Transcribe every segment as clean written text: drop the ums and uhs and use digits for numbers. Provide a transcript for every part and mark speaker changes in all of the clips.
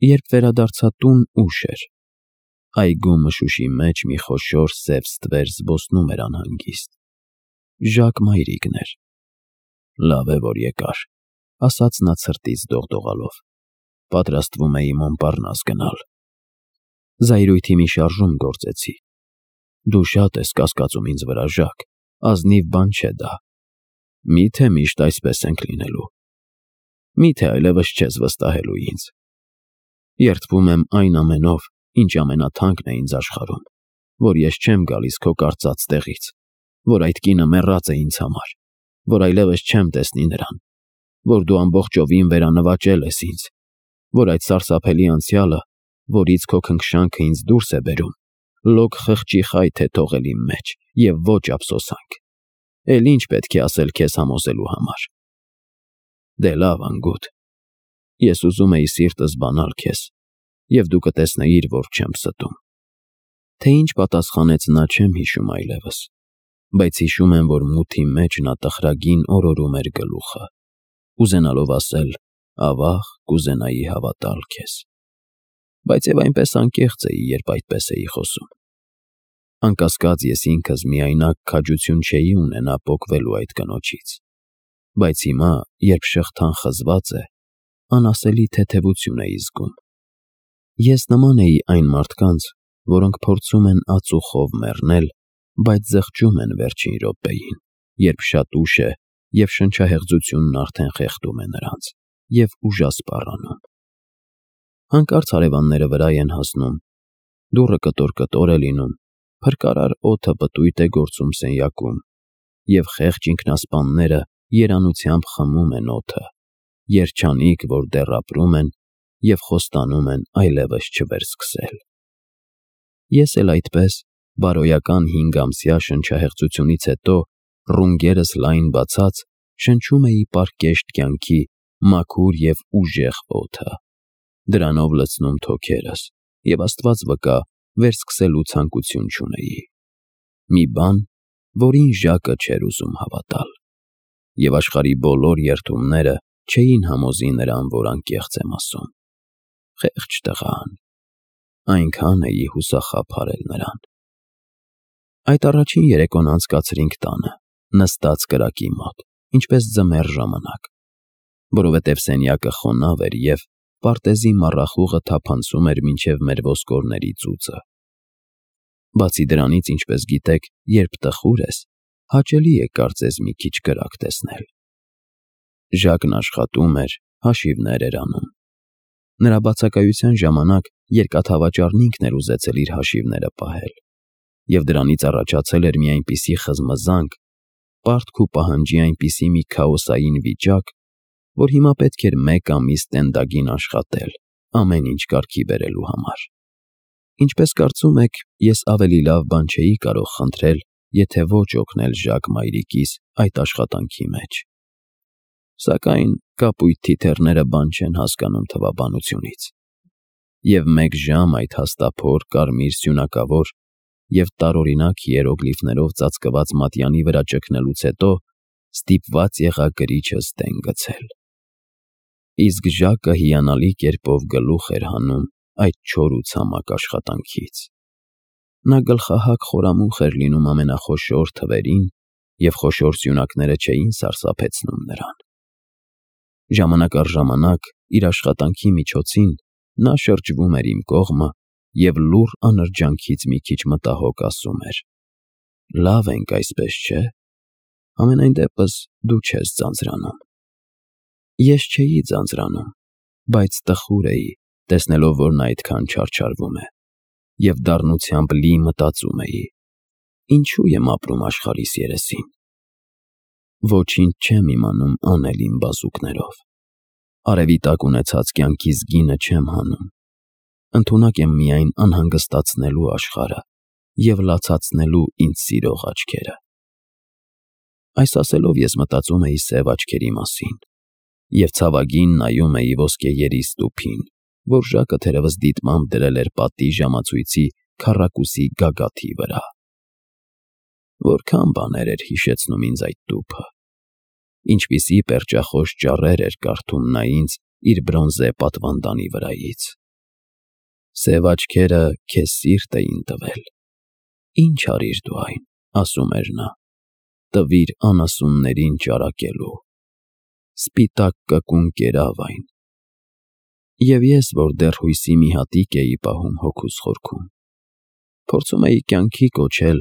Speaker 1: Երբ վերադարձա տուն, ուշ էր։ Այգու մշուշի մեջ մի խոշոր սև ստվեր զբոսնում էր անհանգիստ։ Ժակ մայրիկն էր։ Լավ է, որ եկար, ասաց նա ցրտից դողդողալով։ Պատրաստվում էի Մոնպառնաս գնալ։ Զայրույթի մի շարժում գործեցի։ Դու շատ ես կասկածում ինձ վրա, Ժակ, ազնիվ բան չէ դա։ Միթե միշտ այսպես ենք լինելու։ Միթե այլևս չես վստահելու ինձ։ Երդվում եմ այն ամենով, ինչ ամենաթանկն է ինձ աշխարհում, որ ես չեմ գալիս քո կարծած տեղից, որ այդ կինը մեռած է ինձ համար, որ այլևս չեմ տեսնի նրան, որ դու ամբողջովին վերանվաճել ես ինձ, որ այդ սարսափելի անցյալը, որից քո քնքշանքը ինձ դուրս է բերում, լոկ խղճի խայթ է թողել իմ մեջ և ոչ ափսոսանք։ Էլ ինչ պետք է ասել քեզ համոզելու համար։ Դե լավ, անգութ, ես ուզում էի սիրտս բանալ քեզ, և դու կտեսնեիր, որ չեմ ստում։ Թե ինչ պատասխանեց նա չեմ հիշում այլևս, բայց հիշում եմ, որ մութի մեջ նա տխրագին օրորում էր գլուխը, ուզենալով ասել. «Ավաղ կուզենայի հավատալ քեզ», բայց և այնպես անկեղծ էի, երբ այդպես էի խոսում։ Անկասկած ես ինքս միայնակ քաջություն չէի ունենա պոկվելու այդ կնոջից, բայց հիմա, երբ շղթան խզված է, անասելի թեթևություն էի զգում։ Ես նման էի այն մարդկանց, որոնք փորձում են ածուխով մեռնել, բայց զղջում են վերջին րոպեին, երբ շատ ուշ է և շնչահեղձությունն արդեն խեղդում է նրանց և ուժասպառանում։ Հանկարծ հարևանները վրա են հասնում, դուռը կտոր-կտոր է լինում, փրկարար օդը պտույտ է գործում սենյակում, և խեղճ ինքնասպանները երանությամբ խմում են օդը, երջանիկ, որ դեռ ապրում են և խոստանում են այլևս չվերսկսել։ Ես էլ այդպես, բարոյական 5-ամսյա շնչահեղձությունից հետո, ռունգերս լայն բացած, շնչում էի պարկեշտ կյանքի մաքուր և ուժեղ օդը, դրանով լցնում թոքերս և Աստված վկա, վերսկսելու ցանկություն չունեի։ Մի բան, որին Ժակը չէր ուզում հավատալ, և աշխարհի բոլոր երդումները չէին համոզի նրան, որ անկեղծ եմ ասում։ Խեղճ տղան, այնքան էի հուսախաբարել նրան։ Այդ առաջին երեկոն անցկացրինք տանը, նստած կրակի մոտ, ինչպես ձմեռ ժամանակ, որովհետև սենյակը խոնավ էր և պարտեզի մառախուղը թափանցում էր մինչև մեր ոսկորների ծուծը։ Բացի դրանից, ինչպես գիտեք, երբ տխուր ես, հաճելի է կարծես մի քիչ կրակ տեսնել։ Ժակն աշխատում էր, հաշիվներ էր անում։ Նրա բացակայության ժամանակ երկաթավաճառն ինքն էր ուզեցել իր հաշիվները պահել, և դրանից առաջացել էր մի այնպիսի խզմզանք, պարտք ու պահանջի այնպիսի մի քաոսային վիճակ, որ հիմա պետք էր 1 ամիս տենդագին աշխատել, ամեն ինչ կարգի բերելու համար։ Ինչպես կարծում եք, ես ավելի լավ բան չէի կարող խնդրել, եթե ոչ օգնել Ժակ մայրիկիս այդ աշխատանքի մեջ։ Սակայն կապույտ թիթեռները բան չեն հասկանում թվաբանությունից, և 1 ժամ այդ հաստափոր, կարմիր սյունակավոր և տարօրինակ հիերոգլիֆներով ծածկված մատյանի վրա ճգնելուց հետո ստիպված եղա գրիչս դեն գցել։ Իսկ Ժակը հիանալի կերպով գլուխ էր հանում այդ չոր ու ցամաք աշխատանքից։ Նա գլխահակ խորամուխ էր լինում ամենախոշոր թվերին, և խոշոր սյունակները չէին սարսափեցնում նրան։ Ժամանակ առ ժամանակ, իր աշխատանքի միջոցին, նա շրջվում էր իմ կողմը և լուռ անրջանքից մի քիչ մտահոգ ասում էր. «Լավ ենք այսպես, չէ՞։ Համենայն դեպս դու չես ձանձրանում»։ Ես չէի ձանձրանում, բայց տխուր էի, տեսնելով, որ նա այդքան չարչարվում է, և դառնությամբ լի մտածում էի. ինչու եմ ապրում աշխարհիս երեսին։ Ոչինչ չեմ իմանում անել իմ բազուկներով։ Արևի տակ ունեցած կյանքիս գինը չեմ հանում։ Ընդունակ եմ միայն անհանգստացնելու աշխարհը և լացացնելու ինձ սիրող աչքերը։ Այս ասելով ես մտածում էի սև աչքերի մասին և ցավագին նայում էի ոսկեերի ստուփին, որ Ժակը թերևս դիտմամբ դրել էր պատի ժամացույցի քառակուսի գագաթի վրա։ Որքան բաներ էր հիշեցնում ինձ այդ տուփը, ինչպիսի պերճախոս ճառեր էր կարդում նա ինձ իր բրոնզե պատվանդանի վրայից։ Սև աչքերը քեզ սիրտ էին տվել։ Ինչ արիր դու այն, ասում էր նա, տվիր անասուններին ճարակելու։ Սպիտակ կկուն կերավ այն։ Եվ ես, որ դեռ հույսի մի հատիկ էի պահում հոգուս խորքում, փորձում էի կյանքի կոչել,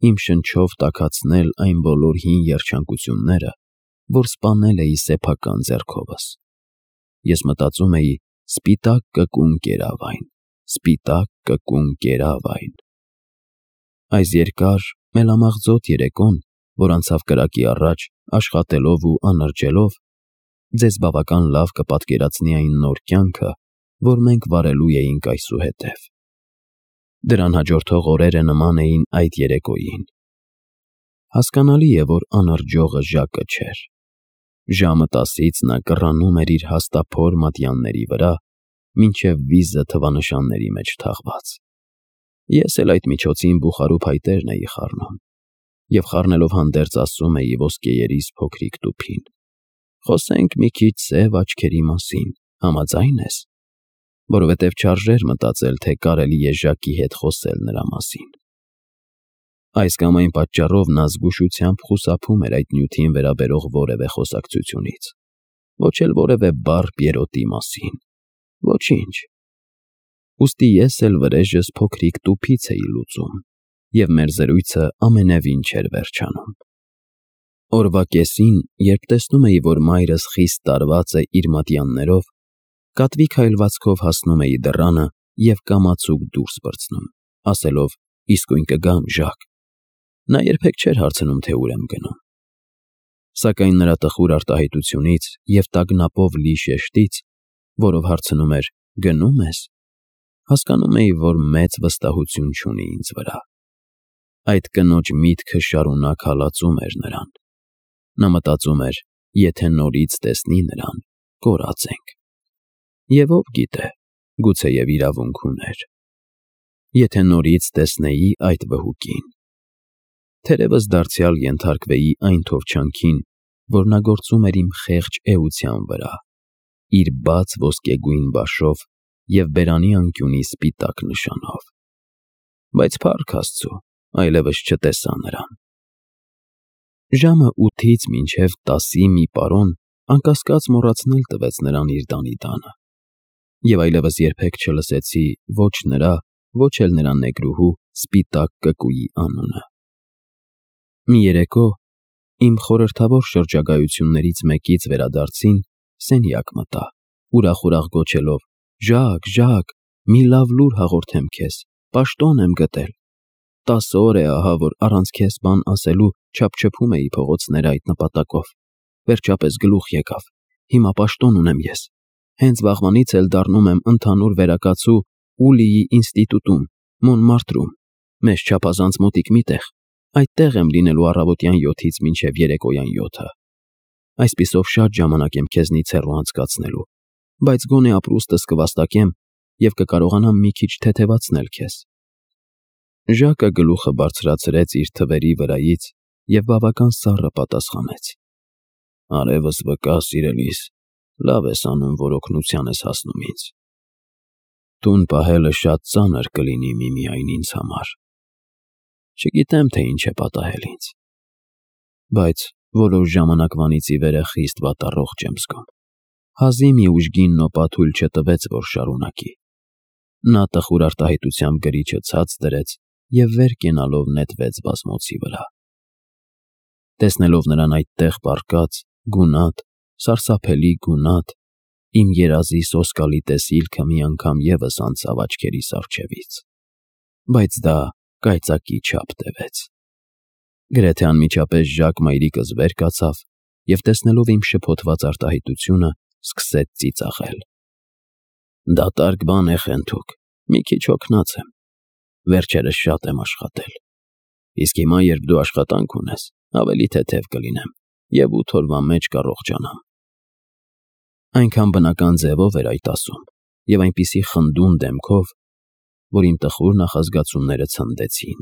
Speaker 1: իմ շնչով տաքացնել այն բոլոր հին երջանկությունները, որ սպանել էի սեփական ձեռքովս։ Ես մտածում էի. սպիտակ կկուն կերավ այն, սպիտակ կկուն կերավ այն։ Այս երկար, մելամաղձոտ երեկոն, որ անցավ կրակի առաջ, աշխատելով ու անրջելով, ձեզ բավական լավ կպատկերացնի այն նոր կյանքը, որ մենք վարելու էինք այսուհետև։ Դրան հաջորդող օրերը նման էին այդ երեկոյին։ Հասկանալի է, որ անրջողը Ժակը չէր։ Ժամը 10-ից նա կռանում էր իր հաստափոր մատյանների վրա, մինչև վիզը թվանշանների մեջ թաղված։ Ես էլ այդ միջոցին բուխարու փայտերն էի խառնում, և խառնելով հանդերձ ասում էի ոսկեերիս փոքրիկ տուփին. խոսենք մի քիչ սև աչքերի մասին, համաձա՞յն ես, որովհետև չարժեր մտածել, թե կարելի է Ժակի հետ խոսել նրա մասին։ Այս կամ այն պատճառով նա զգուշությամբ խուսափում էր այդ նյութին վերաբերող որևէ խոսակցությունից, ոչ էլ որևէ բառ Պիերոտի մասին, ոչինչ։ Ուստի ես էլ վրեժս փոքրիկ տուփից էի լուծում, և մեր զրույցը ամենևին չէր վերջանում։ Օրվա կեսին, երբ տեսնում էի, որ մայրս խիստ տարված է իր մատյաններով, կատվի քայլվածքով հասնում էի դռանը և կամացուկ դուրս պրծնում, ասելով. իսկույն կգամ, Ժակ։ Նա երբեք չէր հարցնում, թե ուր եմ գնում։ Սակայն նրա տխուր արտահայտությունից և տագնապով լի շեշտից, որով հարցնում էր. գնո՞ւմ ես, հասկանում էի, որ մեծ վստահություն չունի ինձ վրա։ Այդ կնոջ միտքը շարունակ հալածում էր նրան։ Նա մտածում էր. եթե նորից տեսնի նրան, կորած ենք։ Եվ ով գիտե, գուցեև իրավունք ուներ։ Եթե նորից տեսնեի այդ վհուկին, թերևս դարձյալ ենթարկվեի այն թովչանքին, որ նա գործում էր իմ խեղճ էության վրա, իր բաց ոսկեգույն բաշով և բերանի անկյունի սպիտակ նշանով։ Բայց փառք Աստծու, այլևս չտեսա նրան։ Ժամը 8-ից մինչև 10-ի մի պարոն անկասկած մոռացնել տվեց նրան իր տանի տանը, և այլևս երբեք չլսեցի ոչ նրա, ոչ էլ նրա նեգրուհու սպիտակ կկուի անունը։ Մի երեկո, իմ խորհրդավոր շրջագայություններից մեկից վերադարձին, սենյակ մտա, ուրախ գոչելով. Ժակ, Ժակ, մի լավ լուր հաղորդեմ քեզ, պաշտոն եմ գտել։ 10 օր է ահա, որ առանց քեզ բան ասելու չափչփում էի փողոցները այդ նպատակով։ Վերջապես գլուխ եկավ, հիմա պաշտոն ունեմ ես։ Հենց վաղվանից էլ դառնում եմ ընդհանուր վերակացու Ուլիի ինստիտուտում, Մոնմարտրում, մեզ չափազանց մոտիկ մի տեղ։ Այդտեղ եմ լինելու առավոտյան 7-ից մինչև երեկոյան 7-ը։ Այսպիսով շատ ժամանակ եմ քեզնից հեռու անցկացնելու, բայց գոնե ապրուստս կվաստակեմ և կկարողանամ մի քիչ թեթևացնել քեզ։ Ժակը գլուխը բարձրացրեց իր թվերի վրայից և բավական սառը պատասխանեց. Արևս վկա, սիրելիս, լավ ես անում, որ օգնության ես հասնում ինձ։ Տուն պահելը շատ ծանր կլինի միմիայն ինձ համար։ Չգիտեմ, թե ինչ է պատահել ինձ, բայց որոշ ժամանակվանից ի վեր խիստ վատառողջ եմ զգում։ Հազի մի ուժգին նոպա թույլ չտվեց, որ շարունակի։ Նա տխուր արտահայտությամբ գրիչը ցած դրեց և վեր կենալով նետվեց բազմոցի վրա։ Տեսնելով նրան այդտեղ պառկած, գունատ, սարսափելի գունատ, իմ երազի սոսկալի տեսիլքը մի անգամ ևս անցավ աչքերիս առջևից, բայց դա կայծակի չափ տևեց։ Գրեթե անմիջապես Ժակ մայրիկս վեր կացավ և տեսնելով իմ շփոթված արտահայտությունը, սկսեց ծիծաղել։ Դատարկ բան է Խենթուք, մի քիչ հոգնած եմ։ Վերջերս շատ եմ աշխատել։ Իսկ հիմա, երբ դու աշխատանք ունես, ավելի թեթև կլինեմ և 8 օրվա մեջ կառողջանամ։ Այնքան բնական ձևով էր այդ ասում և այնպիսի խնդուն դեմքով, որ իմ տխուր նախազգացումները ցնդեցին,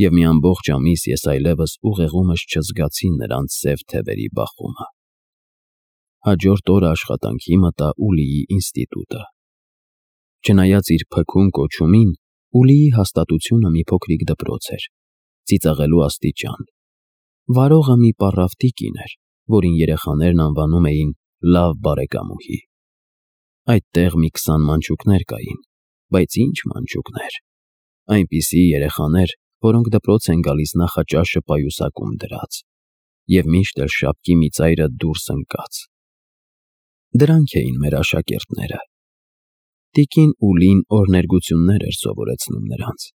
Speaker 1: և մի ամբողջ ամիս ես այլևս ուղեղումս չզգացի նրանց սև թևերի բախումը։ Հաջորդ օրը աշխատանքի մտա Ուլիի ինստիտուտը։ Չնայած իր փքուն կոչումին, Ուլիի հաստատությունը մի փոքրիկ դպրոց էր, ծիծաղելու աստիճան։ Վարողը մի պառավ տիկին էր, որին երեխաներն անվանում էին լավ բարեկամուհի։ Այդտեղ մի 20 մանչուկներ կային, բայց ինչ մանչուկներ։ Այնպիսի երեխաներ, որոնք դպրոց են գալիս նախաճաշը պայուսակում դրած, և միշտ էլ շապկի մի ծայրը դուրս ընկած։ Դրանք էին մեր աշակերտները։ Տիկին Ուլին օրհներգություններ էր սովորեցնում նրանց,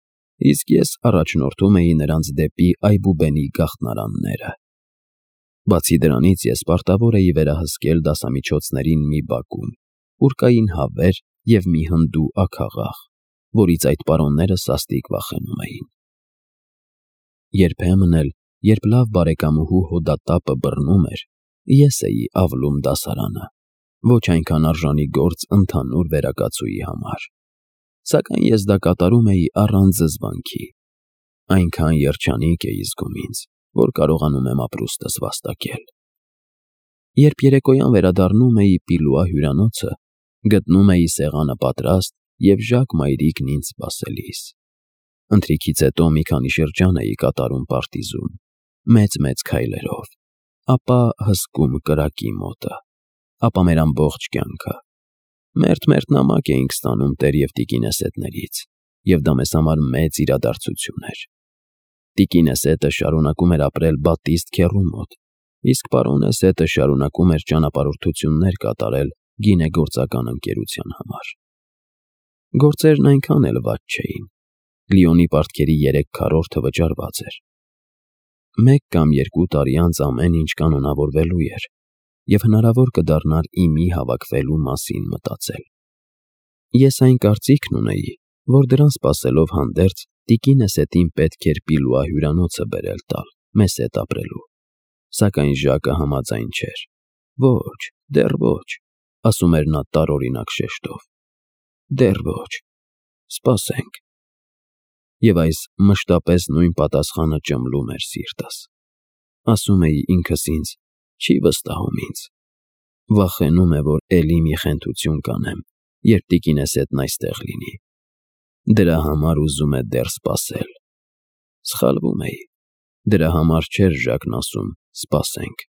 Speaker 1: իսկ ես առաջնորդում էի նրանց դեպի Այբուբենի գաղտնարանները։ Բացի դրանից ես պարտավոր էի վերահսկել դասամիջոցներին մի բակում, ուր կային հավեր և մի հնդու աքաղաղ, որից այդ պարոնները սաստիկ վախենում էին։ Երբեմն էլ, երբ լավ բարեկամուհու հոդատապը բռնում էր, ես էի ավլում դասարանը, ոչ այնքան արժանի գործ ընդհանուր վերակացուի համար, սակայն ես դա կատարում էի առանց զզվանքի։ Այնքան երջանիկ էի զգում ինձ, որ կարողանում եմ ապրուստս վաստակել։ Երբ երեկոյան վերադառնում էի Պիլուա հյուրանոցը, գտնում էի սեղանը պատրաստ և Ժակ մայրիկն ինձ սպասելիս։ Ընթրիքից հետո մի քանի շրջան էի կատարում պարտիզում, մեծ-մեծ քայլերով, ապա հսկում կրակի մոտը, ապա մեր ամբողջ կյանքը։ Մերթ-մերթ նամակ էինք ստանում տեր և տիկինեսետներից, և դա մեզ համար մեծ իրադարձություն էր։ Տիկինեսետը շարունակում էր ապրել Բատիստ քեռու մոտ, իսկ պարոնեսետը շարունակում էր ճանապարհորդություններ կատարել գինեգործական ընկերության համար։ Գործերն այնքան էլ վատ չէին։ Լիոնի պարտքերի 3/4 վճարված էր։ 1 կամ 2 տարի անց ամեն ինչ կանոնավորվելու էր, և հնարավոր կդառնար իմի հավաքվելու մասին մտածել։ Ես այն կարծիքն ունեի, որ դրան սպասելով հանդերձ տիկինեսետին պետք էր Պիլուա հյուրանոցը բերել տալ մեզ հետ ապրելու, սակայն Ժակը համաձայն չէր։ «Ոչ, դեռ ոչ», ասում էր նա տարօրինակ շեշտով, «դեռ ոչ, սպասենք»։ Եվ այս մշտապես նույն պատասխանը ճմլում էր սիրտս։ Ասում էի ինքս ինձ. «Չի վստահում ինձ։ Վախենում է, որ էլի մի խենթություն կանեմ, երբ տիկինեսետն այստեղ լինի։ Դրա համար ուզում է դեռ սպասել»։ Սխալվում էի։ Դրա համար չէր Ժակն ասում «սպասենք»։